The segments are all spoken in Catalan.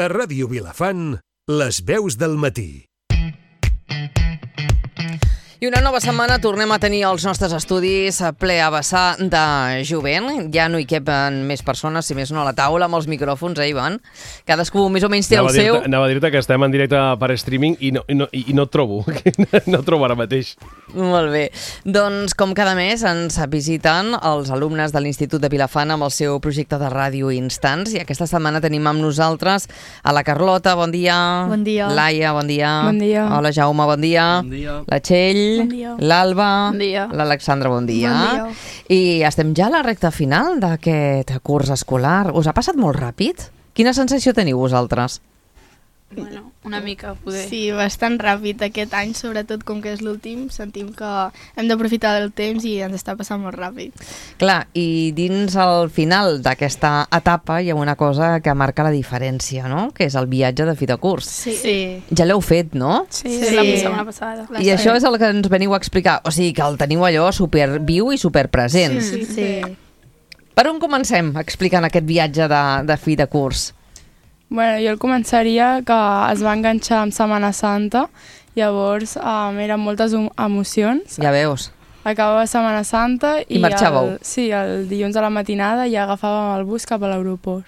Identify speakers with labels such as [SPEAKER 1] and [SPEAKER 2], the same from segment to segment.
[SPEAKER 1] A Ràdio Vilafant, les veus del matí.
[SPEAKER 2] I una nova setmana tornem a tenir els nostres estudis ple a vessar de jovent. Ja no hi quepen més persones, si més no a la taula, amb els micròfons, Ivan? Cadascú més o menys té el seu.
[SPEAKER 3] Anava a dir-te que estem en directe per streaming i no et trobo. No et trobo ara mateix.
[SPEAKER 2] Molt bé. Doncs, com cada mes, ens visiten els alumnes de l'Institut de Vilafant amb el seu projecte de ràdio Instants. I aquesta setmana tenim amb nosaltres a la Carlota, bon dia.
[SPEAKER 4] Bon dia.
[SPEAKER 2] Laia, bon dia.
[SPEAKER 4] Bon dia.
[SPEAKER 2] Hola, Jaume, bon dia.
[SPEAKER 5] Bon dia.
[SPEAKER 2] La Txell.
[SPEAKER 4] Bon dia.
[SPEAKER 2] L'Alba.
[SPEAKER 4] Bon dia.
[SPEAKER 2] L'Alexandra, bon dia.
[SPEAKER 4] Bon dia.
[SPEAKER 2] I estem ja a la recta final d'aquest curs escolar. Us ha passat molt ràpid? Quina sensació teniu vosaltres?
[SPEAKER 6] Bueno, una mica, poder.
[SPEAKER 4] Sí, bastant ràpid aquest any, sobretot com que és l'últim, sentim que hem d'aprofitar del temps i ens està passant molt ràpid.
[SPEAKER 2] Clar, i dins el final d'aquesta etapa hi ha una cosa que marca la diferència, no? Que és el viatge de fi de curs.
[SPEAKER 4] Sí.
[SPEAKER 2] Ja l'heu fet, no?
[SPEAKER 6] Sí,
[SPEAKER 4] Sí.
[SPEAKER 6] la setmana passada.
[SPEAKER 2] I això és el que ens veniu a explicar. O sigui, que el teniu allò superviu i superpresent.
[SPEAKER 4] Sí.
[SPEAKER 2] Per on comencem explicant aquest viatge de fi de curs?
[SPEAKER 7] Bueno, jo el començaria que es va enganxar amb Setmana Santa, llavors eren moltes emocions.
[SPEAKER 2] Ja veus.
[SPEAKER 7] Acabava Setmana Santa
[SPEAKER 2] I marxàveu?
[SPEAKER 7] el dilluns a la matinada ja agafàvem el bus cap a l'aeroport.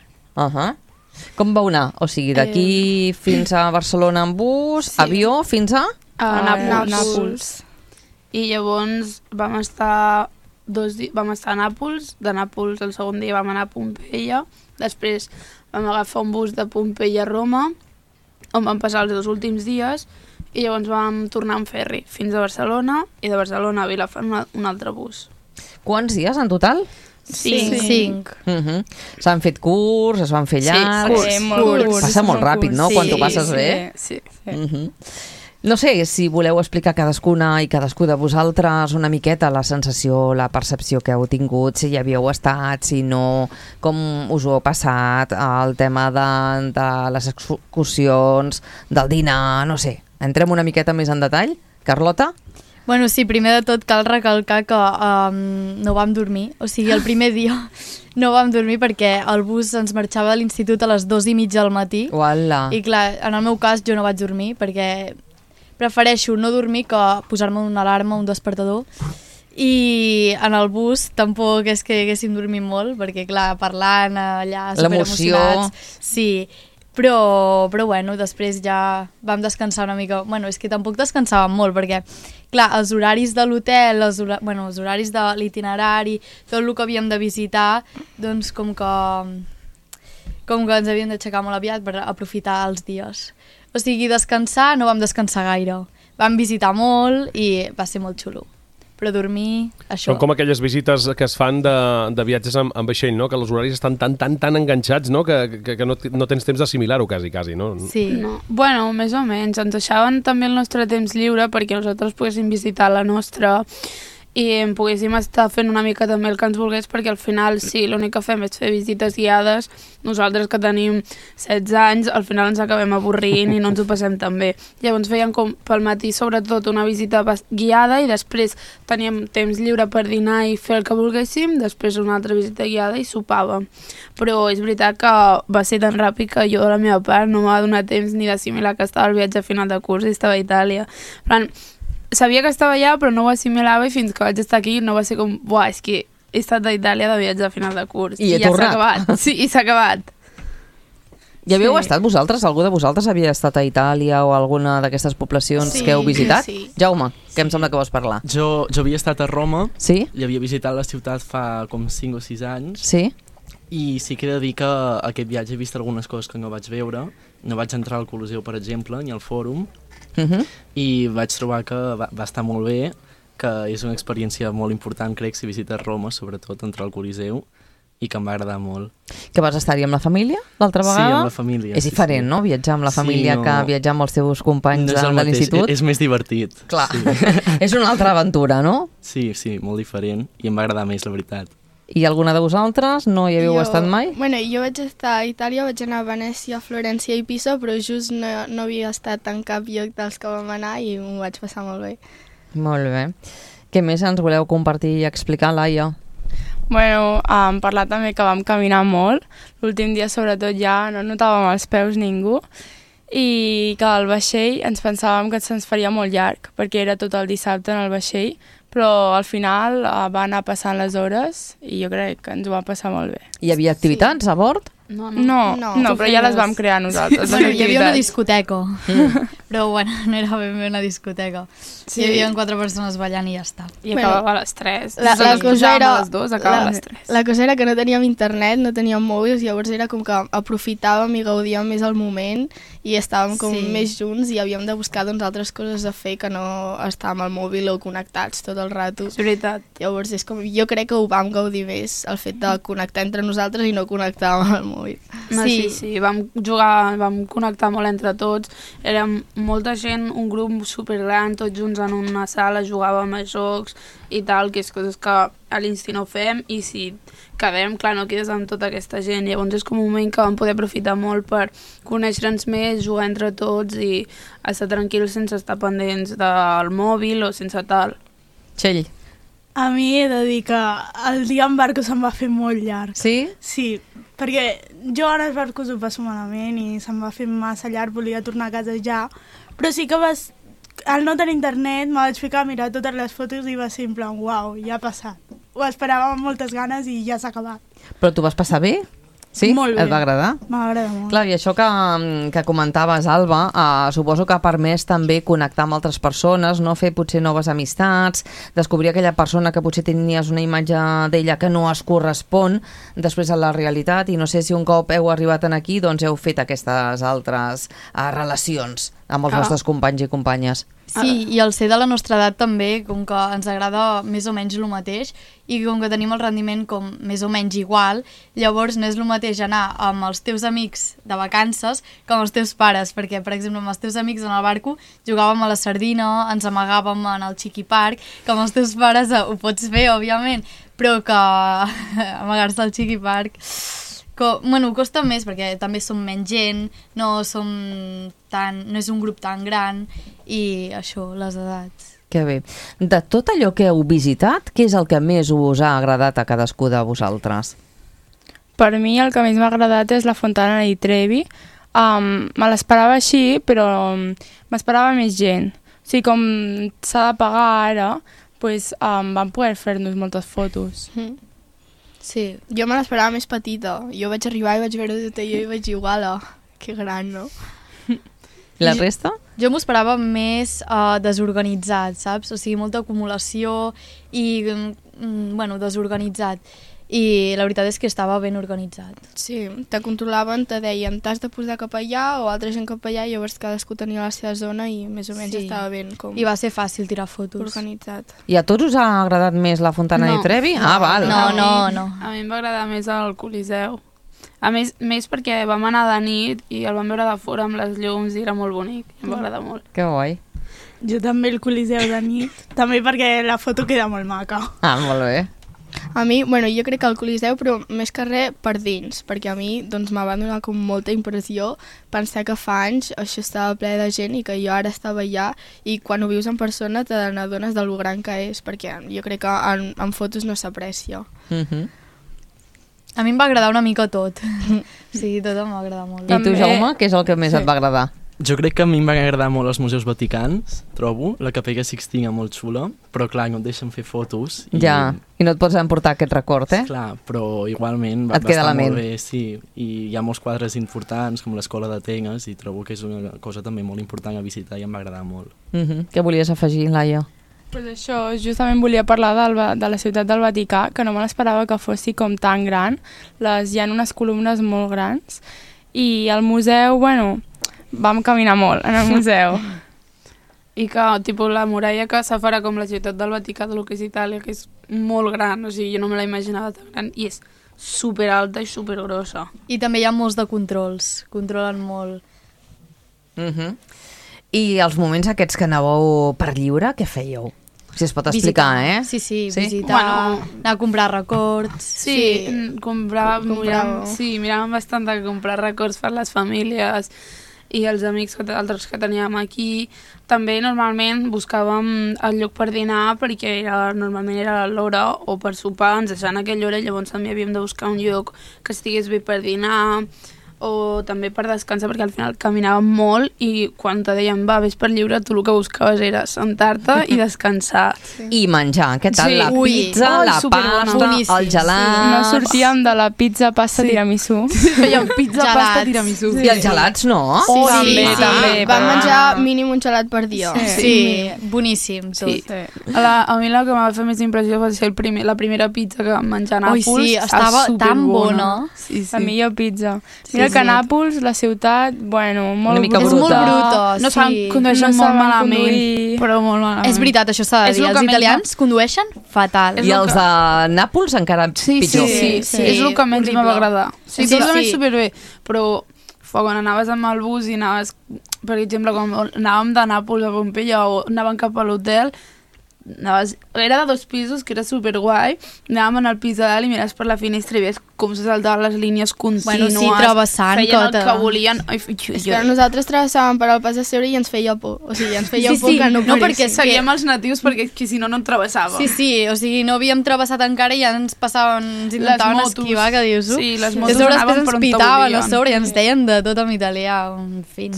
[SPEAKER 2] Com vau anar? O sigui, d'aquí fins a Barcelona en bus, avió, fins a...
[SPEAKER 6] A
[SPEAKER 7] Nàpols.
[SPEAKER 6] I llavors vam estar a Nàpols. De Nàpols el segon dia vam anar a Pompeia. Després vam agafar un bus de Pompeia a Roma, on vam passar els 2 últims dies, i llavors vam tornar en ferri fins a Barcelona, i de Barcelona a Vilafant un altre bus.
[SPEAKER 2] Quants dies en total?
[SPEAKER 4] 5.
[SPEAKER 2] S'han fet curs, es van fer llargs...
[SPEAKER 7] Curts.
[SPEAKER 2] Passa molt ràpid, no? Quan t'ho passes bé.
[SPEAKER 7] Sí.
[SPEAKER 2] No sé si voleu explicar cadascuna i cadascú de vosaltres una miqueta la sensació, la percepció que heu tingut, si hi havíeu estat, si no, com us ho heu passat, el tema de les excursions, del dinar, no sé. Entrem una miqueta més en detall. Carlota?
[SPEAKER 4] Bueno, sí, primer de tot cal recalcar que no vam dormir. O sigui, el primer dia no vam dormir perquè el bus ens marxava de l'institut a les 2:30 del matí.
[SPEAKER 2] Uala.
[SPEAKER 4] I clar, en el meu cas jo no vaig dormir perquè prefereixo no dormir que posar-me una alarma, un despertador. I en el bus tampoc és que haguéssim dormit molt, perquè clar, parlant allà superemocionats. Sí, però bueno, després ja vam descansar una mica. Bueno, és que tampoc descansàvem molt, perquè clar, els horaris de l'hotel, els horaris de l'itinerari, tot el que havíem de visitar, doncs com que ens havíem d'aixecar molt aviat per aprofitar els dies. O sigui, descansar no vam descansar gaire. Vam visitar molt i va ser molt xulo. Però dormir, això...
[SPEAKER 3] Són com aquelles visites que es fan de viatges amb vaixell, no? Que els horaris estan tan enganxats, no? Que no tens temps d'assimilar-ho quasi, no?
[SPEAKER 4] Sí.
[SPEAKER 6] No. Bueno, més o menys. Ens deixaven també el nostre temps lliure perquè nosaltres poguéssim visitar la nostra i poguéssim estar fent una mica també el que ens volgués, perquè al final, sí, l'únic que fem és fer visites guiades. Nosaltres que tenim 16 anys, al final ens acabem avorrint i no ens ho passem tan bé. Llavors fèiem com pel matí sobretot una visita guiada i després teníem temps lliure per dinar i fer el que volguéssim, després una altra visita guiada i sopàvem. Però és veritat que va ser tan ràpid que jo de la meva part no m'ha donat temps ni d'assimilar que estava al viatge final de curs i estava a Itàlia. Sabia que estava allà, però no ho assimilava i fins que vaig estar aquí no va ser com, buah, és que he estat a Itàlia de viatge a final de curs.
[SPEAKER 2] I he
[SPEAKER 6] ja
[SPEAKER 2] tornat.
[SPEAKER 6] s'ha acabat. Sí, i s'ha acabat.
[SPEAKER 2] Ja havíeu estat vosaltres? Algú de vosaltres havia estat a Itàlia o alguna d'aquestes poblacions que heu visitat?
[SPEAKER 4] Sí.
[SPEAKER 2] Jaume, que em sembla que vols parlar.
[SPEAKER 5] Jo havia estat a Roma,
[SPEAKER 2] Sí?
[SPEAKER 5] i havia visitat la ciutat fa com 5 o 6 anys,
[SPEAKER 2] Sí?
[SPEAKER 5] i sí que he de dir que aquest viatge he vist algunes coses que no vaig veure. No vaig entrar al Coliseu, per exemple, ni al Fòrum, i vaig trobar que va estar molt bé, que és una experiència molt important, crec, si visites Roma, sobretot entrar al Coliseu, i que em va agradar molt.
[SPEAKER 2] Que vas estar-hi amb la família l'altra
[SPEAKER 5] Sí,
[SPEAKER 2] vegada?
[SPEAKER 5] amb la família.
[SPEAKER 2] És diferent, no? Viatjar amb la família que viatjar amb els teus companys
[SPEAKER 5] No és el
[SPEAKER 2] de
[SPEAKER 5] mateix,
[SPEAKER 2] l'institut?
[SPEAKER 5] és més divertit.
[SPEAKER 2] Clar,
[SPEAKER 5] Sí.
[SPEAKER 2] és una altra aventura, no?
[SPEAKER 5] Sí, molt diferent, i em va agradar més, la veritat.
[SPEAKER 2] I alguna de vosaltres no hi havíeu estat mai?
[SPEAKER 8] Bueno, jo vaig estar a Itàlia, vaig anar a Venècia, Florència i Pisa, però just no havia estat en cap lloc dels que vam anar i m'ho vaig passar molt bé.
[SPEAKER 2] Molt bé. Què més ens voleu compartir i explicar, Laia?
[SPEAKER 7] Bueno, parlar també que vam caminar molt. L'últim dia, sobretot, ja no notàvem els peus ningú. I que al vaixell ens pensàvem que se'ns faria molt llarg, perquè era tot el dissabte en el vaixell, però al final va anar passant les hores i jo crec que ens ho va passar molt bé.
[SPEAKER 2] Hi havia activitats a bord?
[SPEAKER 7] No, però ja les vam crear nosaltres.
[SPEAKER 4] Bueno, hi havia una discoteca, però bueno, no era ben bé una discoteca. Sí. Hi havia 4 persones ballant i ja està.
[SPEAKER 6] I acabava a les 3.
[SPEAKER 8] La cosa era...
[SPEAKER 6] a les 2, acabava a les 3.
[SPEAKER 8] La cosa era que no teníem internet, no teníem mòbils, llavors era com que aprofitàvem i gaudíem més el moment i estàvem com més junts i havíem de buscar doncs, altres coses a fer que no estàvem al mòbil o connectats tot el rato.
[SPEAKER 6] És veritat.
[SPEAKER 8] Llavors és com, jo crec que ho vam gaudir més, el fet de connectar entre nosaltres i no connectar amb el mòbil.
[SPEAKER 6] Sí, vam jugar, vam connectar molt entre tots, érem molta gent, un grup supergran, tots junts en una sala, jugàvem a jocs i tal, que és coses que a l'Insti no fem, i si quedem, clar, no quedes amb tota aquesta gent, llavors és com un moment que vam poder aprofitar molt per conèixer-nos més, jugar entre tots i estar tranquils sense estar pendents del mòbil o sense tal.
[SPEAKER 2] Txell.
[SPEAKER 9] A mi he de dir que el dia en barco se'm va fer molt llarg.
[SPEAKER 2] Sí?
[SPEAKER 9] Sí, perquè jo en els barcos ho passo malament i se'm va fer massa llarg, volia tornar a casa ja, però sí que al no tenir internet me vaig ficar a mirar totes les fotos i va ser en plan, uau, ja ha passat. Ho esperava amb moltes ganes i ja s'ha acabat.
[SPEAKER 2] Però tu vas passar bé? Sí?
[SPEAKER 9] Molt bé.
[SPEAKER 2] Et va agradar?
[SPEAKER 9] M'agrada molt.
[SPEAKER 2] Clar, i això que comentaves, Alba, suposo que ha permès també connectar amb altres persones, no fer potser noves amistats, descobrir aquella persona que potser tenies una imatge d'ella que no es correspon després a la realitat, i no sé si un cop heu arribat aquí, doncs heu fet aquestes altres relacions amb els vostres companys i companyes.
[SPEAKER 4] Sí, i el ser de la nostra edat també, com que ens agrada més o menys el mateix, i com que tenim el rendiment com més o menys igual, llavors no és el mateix anar amb els teus amics de vacances que amb els teus pares, perquè, per exemple, amb els teus amics en el barco jugàvem a la sardina, ens amagàvem en el Chiqui Park, que amb els teus pares ho pots fer, òbviament, però que amagar-se al Chiqui Park... Bueno, costa més perquè també som menys gent, no és un grup tan gran i això, les edats.
[SPEAKER 2] Que bé. De tot allò que heu visitat, què és el que més us ha agradat a cadascú de vosaltres?
[SPEAKER 7] Per mi el que més m'ha agradat és la Fontana di Trevi. Me l'esperava així, però m'esperava més gent. O sigui, com s'ha de pagar ara, doncs, vam poder fer-nos moltes fotos.
[SPEAKER 8] Sí, jo me l'esperava més petita. Jo vaig arribar i vaig veure tot allò i vaig dir, uala, que gran, no?
[SPEAKER 2] La resta?
[SPEAKER 4] Jo m'ho esperava més desorganitzat, saps? O sigui, molta acumulació i, bueno, desorganitzat. I la veritat és que estava ben organitzat.
[SPEAKER 8] Sí, te controlaven, te deien t'has de posar cap allà o altra gent cap allà, i llavors cadascú tenia la seva zona i més o menys estava ben com...
[SPEAKER 4] I va ser fàcil tirar fotos.
[SPEAKER 8] Organitzat.
[SPEAKER 2] I a tots us ha agradat més la Fontana di Trevi? Ah, val.
[SPEAKER 4] No.
[SPEAKER 6] A mi em va agradar més el Coliseu. A més perquè vam anar de nit i el vam veure de fora amb les llums i era molt bonic. Em va agradar molt.
[SPEAKER 2] Que guai.
[SPEAKER 9] Jo també el Coliseu de nit, també perquè la foto queda molt maca.
[SPEAKER 2] Ah, molt bé.
[SPEAKER 8] A mi, bueno, jo crec que el Coliseu, però més que res per dins, perquè a mi doncs, m'ha donar com molta impressió pensar que fa anys això estava ple de gent i que jo ara estava allà, i quan ho vius en persona te n'adones del gran que és, perquè jo crec que en fotos no s'aprecia.
[SPEAKER 4] A mi em va agradar una mica tot. Sí, tot em va agradar molt.
[SPEAKER 2] I tu, Jaume, què és el que més et va agradar?
[SPEAKER 5] Jo crec que a mi em van agradar molt els museus vaticans, trobo. La Capella Sixtina molt xula, però clar, no et deixen fer fotos.
[SPEAKER 2] I no et pots emportar aquest record, eh?
[SPEAKER 5] Clar, però igualment va estar molt bé, sí. I hi ha molts quadres importants, com l'Escola d'Atenes, i trobo que és una cosa també molt important a visitar i em va agradar molt.
[SPEAKER 2] Què volies afegir, Laia?
[SPEAKER 7] Pues això, justament volia parlar de la ciutat del Vaticà, que no me l'esperava que fossi com tan gran. Hi ha unes columnes molt grans. I el museu, bueno... Vam caminar molt en el museu.
[SPEAKER 6] I que, tipus, la muralla que s'afara com la ciutat del Vaticà de lo que és Itàlia, que és molt gran, o sigui, jo no me la imaginava tan gran, i és superalta i supergrossa.
[SPEAKER 4] I també hi ha molts de controls, controlen molt.
[SPEAKER 2] I els moments aquests que anàveu per lliure, què fèieu? Si es pot explicar,
[SPEAKER 4] Sí, visitar, anar a comprar records.
[SPEAKER 6] Sí, miràvem bastant de comprar records per les famílies i els amics altres que teníem aquí. També normalment buscàvem el lloc per dinar perquè normalment era l'hora o per sopar, ens deixaven aquella hora i llavors també havíem de buscar un lloc que estigués bé per dinar o també per descansar perquè al final caminàvem molt i quan te deien va, vés per lliure, tu el que buscaves era sentar-te i descansar.
[SPEAKER 2] I menjar, què tal?
[SPEAKER 6] Sí.
[SPEAKER 2] La pizza, la pasta, el gelat...
[SPEAKER 7] No sortíem de la pizza, pasta, tiramisú.
[SPEAKER 6] Fèiem pizza, pasta, tiramisú.
[SPEAKER 2] I els gelats, no?
[SPEAKER 7] També.
[SPEAKER 8] Vam menjar mínim un gelat per dia.
[SPEAKER 4] Sí, boníssim tot.
[SPEAKER 6] Sí. A mi la que m'ha fet més impressió va ser la primera pizza que vam menjar a Nàpols.
[SPEAKER 4] Sí, estava tan bona.
[SPEAKER 6] Sí.
[SPEAKER 7] La millor pizza. Mira que a Nàpols, la ciutat, bueno, molt bruta.
[SPEAKER 4] És molt bruta,
[SPEAKER 6] no saben condueixen molt malament, però molt malament.
[SPEAKER 4] És veritat, això s'ha de dir. Els italians condueixen fatal.
[SPEAKER 2] I els de Nàpols encara pitjor.
[SPEAKER 6] Sí. És el que menys m'ha agradar. Sí, tot anava superbé, però quan anaves amb el bus i anaves, per exemple, quan anàvem de Nàpols a Pompeia o anàvem cap a l'hotel, era de 2 pisos, que era superguai, anàvem en el pis de dalt i mires per la finestra i ves com se saltaven les línies contínues,
[SPEAKER 4] bueno, sí, travessant,
[SPEAKER 6] feien el que volien.
[SPEAKER 8] És que nosaltres travessàvem per al pas de seure i ens feia por, o sigui, ens feia por que no
[SPEAKER 6] paressin. No, perquè seguíem els natius perquè si no, no en travessàvem.
[SPEAKER 4] Sí, o sigui, no havíem travessat encara i ja ens passaven, ens intentaven esquivar, que dius,
[SPEAKER 6] sí, les motos
[SPEAKER 4] anaven per on te volien. A sobre i ens deien de tot en italià, en fi.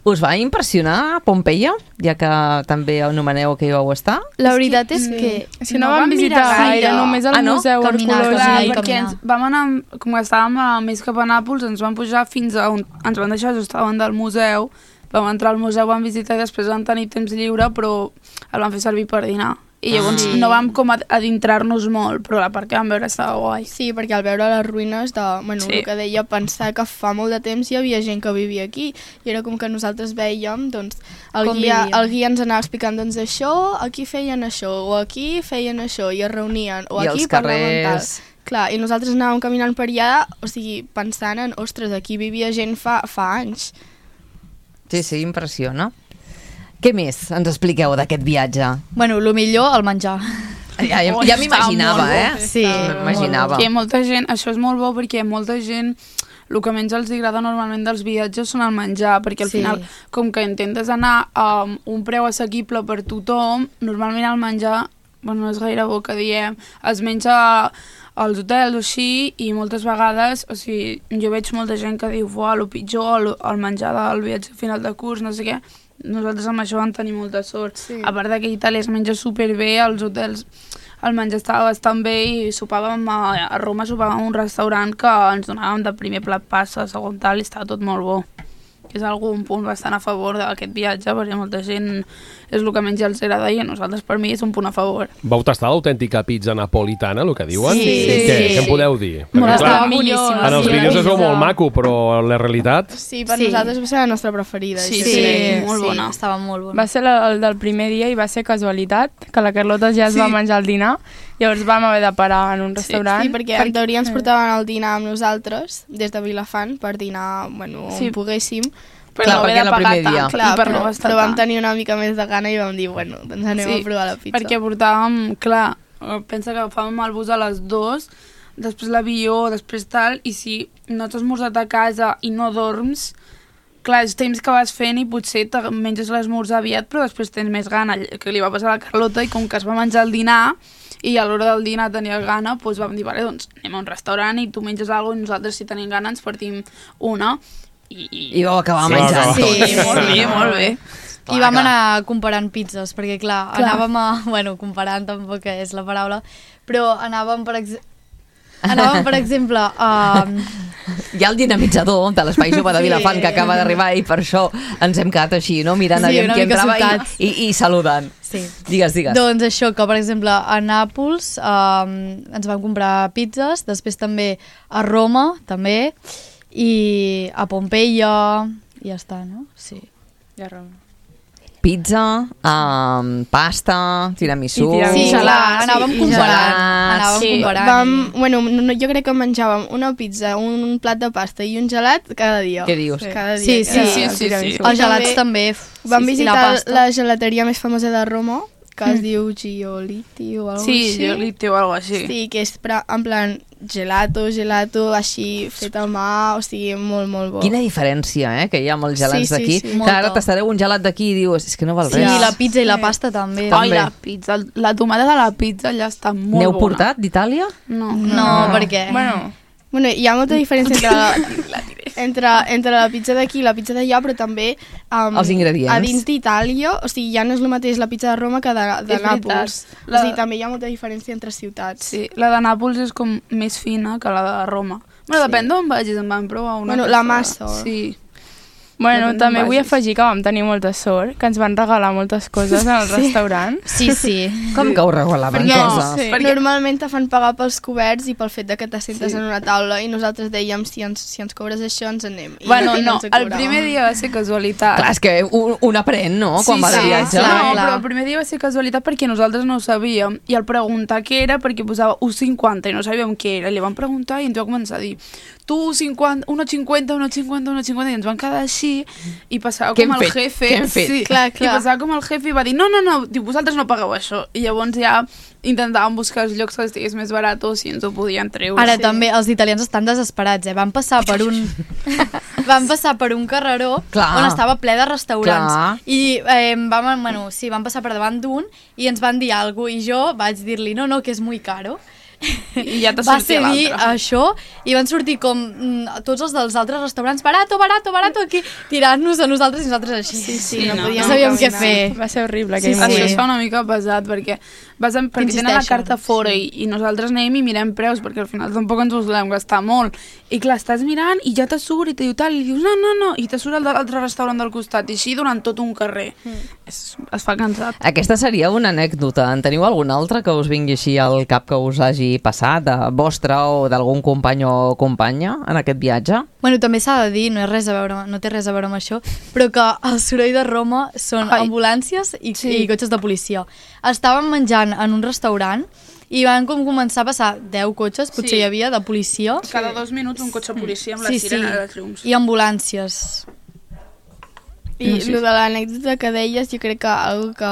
[SPEAKER 2] Us va impressionar Pompeia, ja que també anomeneu que hi vau estar?
[SPEAKER 7] La veritat és que si no vam visitar gaire, només el museu arqueològic.
[SPEAKER 6] Perquè vam anar, com que estàvem més cap a Nàpols, ens vam pujar fins a on ens van deixar just davant del museu, vam entrar al museu, vam visitar i després vam tenir temps lliure, però el vam fer servir per dinar. I llavors no vam com adentrar-nos molt, però la part que vam veure estava guai.
[SPEAKER 8] Sí, perquè al veure les ruïnes de, bueno, el que deia, pensar que fa molt de temps hi havia gent que vivia aquí, i era com que nosaltres veiem, doncs, el guia ens anava explicant, doncs, això, aquí feien això, o aquí feien això, i es reunien, o aquí parlaven tal. Clar, i nosaltres anàvem caminant per allà, o sigui, pensant en, ostres, aquí vivia gent fa anys.
[SPEAKER 2] Sí, impressiona. Què més ens expliqueu d'aquest viatge?
[SPEAKER 4] Bueno, el millor, el menjar.
[SPEAKER 2] Ja m'imaginava,
[SPEAKER 4] Sí,
[SPEAKER 2] m'imaginava.
[SPEAKER 6] Que molta gent, això és molt bo perquè molta gent el que menys els agrada normalment dels viatges són el menjar, perquè al final, com que intentes anar a un preu assequible per tothom, normalment el menjar, bueno, no és gaire bo que diem, es menja als hotels o així, i moltes vegades, o sigui, jo veig molta gent que diu, el pitjor, el menjar del viatge a final de curs, no sé què. Nosaltres amb això vam tenir molta sort. A part que a Itàlia es menja superbé, als hotels el menjar estava bastant bé i sopàvem a Roma, sopàvem a un restaurant que ens donàvem de primer plat pasta, segon tal, i estava tot molt bo. És algun punt bastant a favor d'aquest viatge, perquè molta gent és el que menys els agrada i a nosaltres per mi és un punt a favor.
[SPEAKER 3] Vau tastar l'autèntica pizza napolitana, el que diuen?
[SPEAKER 6] Sí.
[SPEAKER 3] Què em podeu dir?
[SPEAKER 6] Estava boníssima.
[SPEAKER 3] En els vídeos es veu molt maco, però la realitat...
[SPEAKER 8] Sí, per nosaltres va ser la nostra preferida.
[SPEAKER 6] Sí, molt bona.
[SPEAKER 4] Estava molt bona.
[SPEAKER 7] Va ser el del primer dia i va ser casualitat, que la Carlota ja es va menjar el dinar. Llavors vam haver de parar en un restaurant.
[SPEAKER 8] Sí, perquè en teoria ens portaven el dinar amb nosaltres, des de Vilafant, per dinar, bueno, on poguéssim.
[SPEAKER 6] Però no haver de pagar tant,
[SPEAKER 8] però vam tenir una mica més de gana i vam dir, bueno, doncs anem a provar la pizza.
[SPEAKER 6] Perquè portàvem, clar, pensa que agafàvem el bus a les 2, després l'avió, després tal, i si no t'has esmorzat a casa i no dorms, clar, és temps que vas fent i potser te menges l'esmorzar aviat, però després tens més gana, que li va passar a la Carlota, i com que es va menjar el dinar, i a l'hora del dinar tenia gana, doncs vam dir, vale, doncs anem a un restaurant i tu menges alguna cosa i nosaltres, si tenim gana, ens partim una.
[SPEAKER 2] I vau acabar menjant.
[SPEAKER 6] Sí, molt bé.
[SPEAKER 4] I vam anar comparant pizzas, perquè clar, anàvem a... Bueno, comparant tampoc és la paraula, però anàvem, per exemple, a...
[SPEAKER 2] Hi ha el dinamitzador de l'Espai Jove de Vilafant que acaba d'arribar i per això ens hem quedat així, no? Mirant aviam qui entrava i saludant.
[SPEAKER 4] Sí.
[SPEAKER 2] Digues.
[SPEAKER 4] Doncs això, que per exemple a Nàpols ens vam comprar pizzas, després també a Roma, també, i a Pompeia, i ja està, no? Sí.
[SPEAKER 6] I a Roma.
[SPEAKER 2] Pizza, pasta, tiramisú...
[SPEAKER 4] Sí, anàvem comparant.
[SPEAKER 8] Bueno, jo crec que menjàvem una pizza, un plat de pasta i un gelat cada dia.
[SPEAKER 2] Què dius?
[SPEAKER 8] Cada dia.
[SPEAKER 4] Sí. Els gelats també.
[SPEAKER 8] Vam visitar la gelateria més famosa de Roma, que es diu Giolitti o alguna cosa així.
[SPEAKER 6] Sí, Giolitti o alguna cosa així.
[SPEAKER 8] Sí, que és en plan gelato, així, fet a mà, o sigui, molt, molt bo.
[SPEAKER 2] Quina diferència, que hi ha amb els gelats d'aquí. Que ara tastareu un gelat d'aquí i dius, és que no val res.
[SPEAKER 4] Sí, la pizza i la pasta també.
[SPEAKER 6] Ai, la pizza, la tomata de la pizza ja està molt bona.
[SPEAKER 2] N'heu portat d'Itàlia?
[SPEAKER 4] No, perquè...
[SPEAKER 8] Bueno, hi ha molta diferència entre la pizza d'aquí i la pizza d'allà, però també
[SPEAKER 2] els ingredients.
[SPEAKER 8] A dins d'Itàlia, o sigui, ja no és el mateix la pizza de Roma que de Nàpols. O sigui, també hi ha molta diferència entre ciutats.
[SPEAKER 6] Sí, la de Nàpols és com més fina que la de Roma. Bueno, depèn d'on vagis, em van provar una.
[SPEAKER 8] Bueno, la massa.
[SPEAKER 6] Sí.
[SPEAKER 7] Bueno, també vull afegir que vam tenir molta sort, que ens van regalar moltes coses al restaurant.
[SPEAKER 4] Sí.
[SPEAKER 2] Com que ho regalaven coses?
[SPEAKER 8] Perquè normalment te fan pagar pels coberts i pel fet de que t'assentes en una taula i nosaltres dèiem, si ens cobres això ens anem.
[SPEAKER 6] Bueno, no, el primer dia va ser casualitat.
[SPEAKER 2] Clar, és que un aprèn, no?, quan va de viatge.
[SPEAKER 6] No, però el primer dia va ser casualitat perquè nosaltres no ho sabíem i al preguntar què era, perquè posava 1,50 i no sabíem què era, li vam preguntar i ens va començar a dir tu 1,50, 1,50 i ens van quedar així i passava com el jefe.
[SPEAKER 2] Què hem fet?
[SPEAKER 6] Sí, i passava com el jefe i va dir no, diu, vosaltres no pagueu això. I llavors ja intentàvem buscar els llocs que estigués més barat o si ens ho podien treure.
[SPEAKER 4] Ara també els italians estan desesperats, Van passar per un carreró on estava ple de restaurants i vam passar per davant d'un i ens van dir alguna cosa i jo vaig dir-li no, que és molt caro.
[SPEAKER 6] I ja t'ha sortit l'altre.
[SPEAKER 4] Va dir això i van sortir com tots els dels altres restaurants barato, aquí tirant-nos a nosaltres i nosaltres així.
[SPEAKER 6] Sí,
[SPEAKER 4] no sabíem què fer.
[SPEAKER 7] Va ser horrible aquell
[SPEAKER 6] moment. Això es fa una mica pesat perquè tenen la carta fora i nosaltres anem i mirem preus perquè al final tampoc ens us volem gastar molt i clar, estàs mirant i ja te surt i te diu tal i dius no i te surt l'altre restaurant del costat i així durant tot un carrer. Es fa cansat.
[SPEAKER 2] Aquesta seria una anècdota. En teniu alguna altra que us vingui així al cap que us hagi passat, de vostra o d'algun company o companya en aquest viatge?
[SPEAKER 4] Bueno, també s'ha de dir, no té res a veure amb això, però que el soroll de Roma són ambulàncies i cotxes de policia. Estàvem menjant en un restaurant i van començar a passar 10 cotxes, potser hi havia, de policia.
[SPEAKER 6] Cada 2 minuts un cotxe de policia amb la sirena de llums.
[SPEAKER 4] I ambulàncies.
[SPEAKER 8] I el de l'anècdota que deies, jo crec que algo que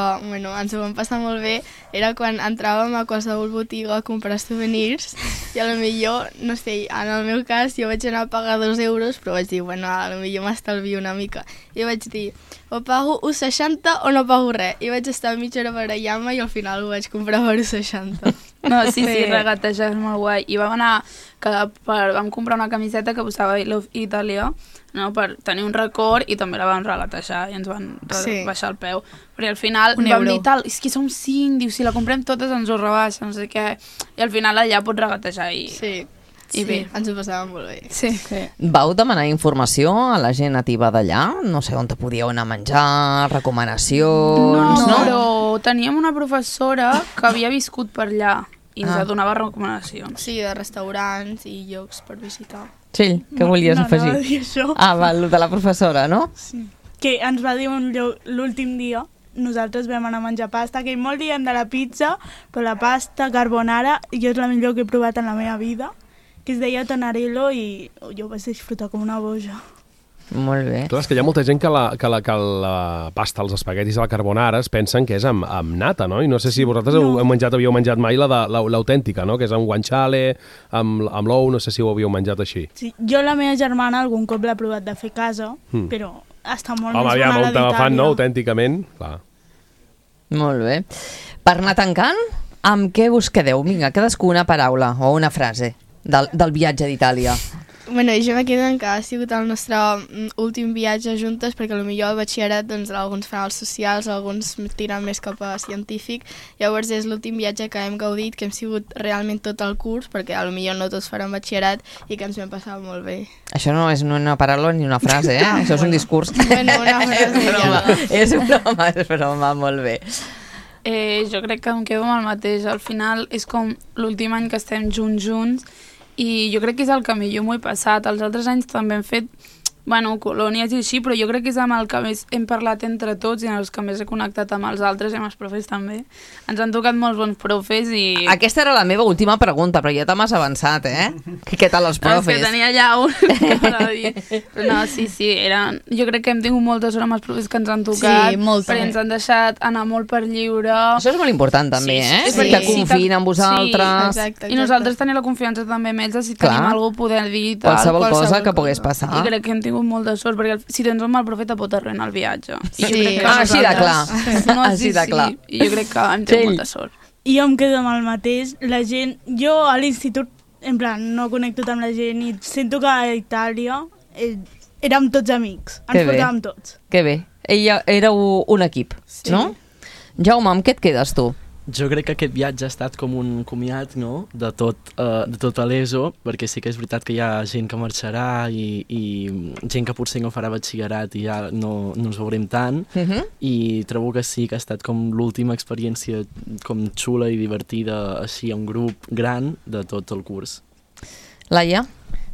[SPEAKER 8] ens ho vam passar molt bé era quan entràvem a qualsevol botiga a comprar souvenirs i a lo millor, no sé, en el meu cas jo vaig anar a pagar 2 euros però vaig dir, a lo millor m'estalvio una mica i vaig dir, o pago 1,60 o no pago res i vaig estar mitja hora barallant-me i al final ho vaig comprar per 1,60.
[SPEAKER 6] No, sí, regatejar és molt guai. I vam comprar una camiseta que posava I Love Italia, no, per tenir un record i també la vam regatejar i ens van baixar el peu. Perquè al final vam dir tal, és que som 5, diu, si la comprem totes ens ho rebaixa, no sé què, i al final allà pots regatejar i...
[SPEAKER 8] I bé, ens ho passàvem molt bé.
[SPEAKER 6] Sí.
[SPEAKER 2] Vau demanar informació a la gent nativa d'allà? No sé on te podíeu anar a menjar, recomanacions...
[SPEAKER 6] No, però teníem una professora que havia viscut per allà i ens donava recomanacions.
[SPEAKER 8] Sí, de restaurants i llocs per visitar.
[SPEAKER 2] Sí, què volies afegir?
[SPEAKER 9] No, dir això.
[SPEAKER 2] El de la professora, no?
[SPEAKER 9] Sí. Que ens va dir l'últim dia, nosaltres vam anar a menjar pasta, que molt diem de la pizza, però la pasta carbonara jo és la millor que he provat en la meva vida, que es deia Tonarello i jo vaig disfrutar com una boja.
[SPEAKER 2] Molt bé.
[SPEAKER 3] Clar, és que hi ha molta gent que la pasta, els espaguetis a la carbonara es pensen que és amb nata, no? I no sé si vosaltres havíeu menjat mai l'autèntica, no? Que és amb guanciale, amb l'ou, no sé si ho havíeu menjat així.
[SPEAKER 9] Sí, jo la meva germana algun cop l'ha provat de fer a casa, però està molt més bona la d'Itàlia.
[SPEAKER 3] Home, aviam, fan, no? Autènticament, clar.
[SPEAKER 2] Molt bé. Per anar tancant, amb què us quedeu? Vinga, cadascú una paraula o una frase del viatge d'Itàlia.
[SPEAKER 8] Bueno, jo me quedo en que ha sigut el nostre últim viatge juntes, perquè potser al batxillerat doncs, alguns fan els socials, alguns tiren més cap a científic, llavors és l'últim viatge que hem gaudit, que hem sigut realment tot el curs, perquè potser no tots faran batxillerat i que ens vam passar molt bé.
[SPEAKER 2] Això no és una paraula ni una frase, això és un discurs.
[SPEAKER 8] Bueno, una frase.
[SPEAKER 2] És broma, molt bé.
[SPEAKER 6] Jo crec que em quedo amb el mateix. Al final és com l'últim any que estem junts i jo crec que és el que millor m'ho he passat. Els altres anys també hem fet bueno, colònies i així, però jo crec que és amb el que més hem parlat entre tots i amb els que més he connectat amb els altres i amb els profes també. Ens han tocat molts bons profes i...
[SPEAKER 2] Aquesta era la meva última pregunta, però ja te m'has avançat, Què tal els profes?
[SPEAKER 6] No, és que tenia ja un que dir. No, sí, jo crec que hem tingut molta sort amb els profes que ens han tocat,
[SPEAKER 4] Sí, molta.
[SPEAKER 6] perquè ens han deixat anar molt per lliure.
[SPEAKER 2] Això és molt important també,
[SPEAKER 6] Sí.
[SPEAKER 2] Que confiïn en vosaltres.
[SPEAKER 8] Exacte.
[SPEAKER 6] I nosaltres tenim la confiança també amb ells de si
[SPEAKER 2] Clar.
[SPEAKER 6] tenim alguna cosa poder dir. Tal,
[SPEAKER 2] Qualsevol cosa que pogués passar.
[SPEAKER 6] I crec que hem tingut molta sort, perquè si tens un mal profe te pot arruïnar el viatge. I jo
[SPEAKER 4] Sí.
[SPEAKER 6] crec que
[SPEAKER 2] Així de clar.
[SPEAKER 6] nosaltres- No,
[SPEAKER 2] Així de clar.
[SPEAKER 6] I jo crec que hem tingut molta sort.
[SPEAKER 9] I jo em quedo amb el mateix. La gent... Jo a l'institut, en plan, no connecto amb la gent i sento que a Itàlia érem tots amics.
[SPEAKER 2] Que
[SPEAKER 9] Ens
[SPEAKER 2] bé.
[SPEAKER 9] portàvem tots.
[SPEAKER 2] Que bé. Éreu un equip, no? Jaume, amb què et quedes tu?
[SPEAKER 5] Jo crec que aquest viatge ha estat com un comiat, no?, de tot l'ESO, perquè sí que és veritat que hi ha gent que marxarà i gent que potser no farà batxillerat i ja no ens veurem tant, i trobo que sí que ha estat com l'última experiència com xula i divertida així a un grup gran de tot el curs.
[SPEAKER 2] Laia?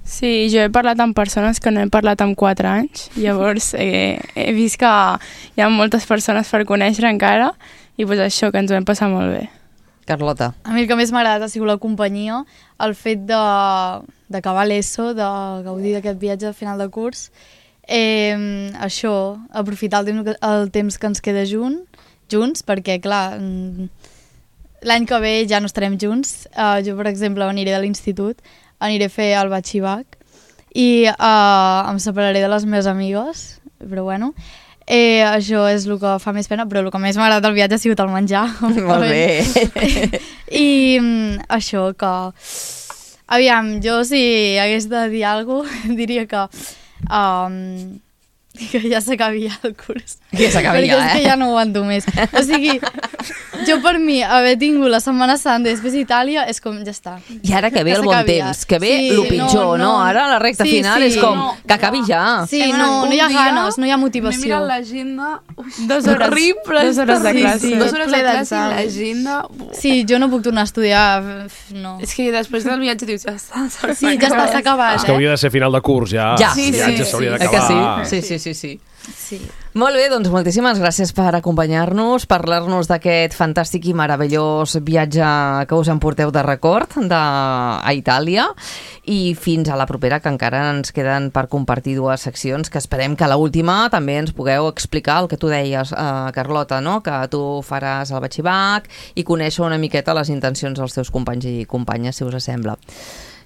[SPEAKER 7] Sí, jo he parlat amb persones que no he parlat amb 4 anys, llavors he vist que hi ha moltes persones per conèixer encara i pues això, que ens ho hem passat molt bé.
[SPEAKER 2] Carlota?
[SPEAKER 4] A mi el que més m'ha agradat ha sigut la companyia, el fet d'acabar l'ESO, de gaudir d'aquest viatge a final de curs, això, aprofitar el temps que ens queda junts, perquè clar, l'any que ve ja no estarem junts. Jo, per exemple, aniré de l'institut, aniré a fer el batxibac i em separaré de les meves amigues, però bueno, això és el que fa més pena, però el que més m'ha agradat del viatge ha sigut el menjar.
[SPEAKER 2] Molt bé.
[SPEAKER 4] I això que... Aviam, jo si hagués de dir alguna cosa, diria que ja s'acabi ja el curs.
[SPEAKER 2] Ja s'acabi ja,
[SPEAKER 4] Perquè és que ja no aguanto més. O sigui, jo per mi haver tingut la Setmana Santa i després Itàlia és com, ja està.
[SPEAKER 2] I ara que ve el bon temps, que ve el pitjor, no? Ara la recta final és com, que acabi ja.
[SPEAKER 4] Sí, no hi ha ganes, no hi ha motivació.
[SPEAKER 6] M'he mirat l'agenda...
[SPEAKER 7] 2 hores.
[SPEAKER 6] Horrible.
[SPEAKER 7] 2 hores de classe.
[SPEAKER 4] Sí,
[SPEAKER 6] 2 hores de
[SPEAKER 4] ple
[SPEAKER 6] classe i
[SPEAKER 4] d'exàmens.
[SPEAKER 6] l'agenda...
[SPEAKER 4] Sí, jo no puc tornar a estudiar, no.
[SPEAKER 6] És que després del viatge dius, ja està.
[SPEAKER 4] Sí, ja està, s'ha acabat,
[SPEAKER 3] És que hauria de ser final de curs, ja.
[SPEAKER 2] Ja.
[SPEAKER 3] El viatge s'hauria
[SPEAKER 2] Que
[SPEAKER 3] d'acabar.
[SPEAKER 2] sí. Molt bé, doncs moltíssimes gràcies per acompanyar-nos, parlar-nos d'aquest fantàstic i meravellós viatge que us emporteu de record a Itàlia, i fins a la propera, que encara ens queden per compartir 2 seccions, que esperem que a l'última també ens pugueu explicar el que tu deies, Carlota, no? Que tu faràs el batxibac i conèixer una miqueta les intencions dels teus companys i companyes, si us sembla.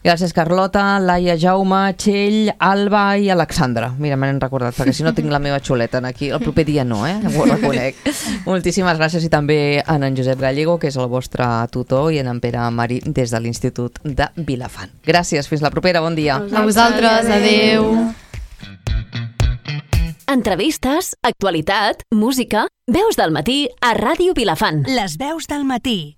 [SPEAKER 2] Gràcies, Carlota, Laia, Jaume, Txell, Alba i Alexandra. Mira, me n'he recordat, perquè si no tinc la meva xuleta aquí. El proper dia no, ho reconec. Moltíssimes gràcies, i també a en Josep Gallego, que és el vostre tutor, i en Pere Mari, des de l'Institut de Vilafant. Gràcies, fins la propera, bon dia.
[SPEAKER 4] A vosaltres, adeu.
[SPEAKER 10] Entrevistes, actualitat, música, veus del matí a Ràdio Vilafant.
[SPEAKER 11] Les veus del matí.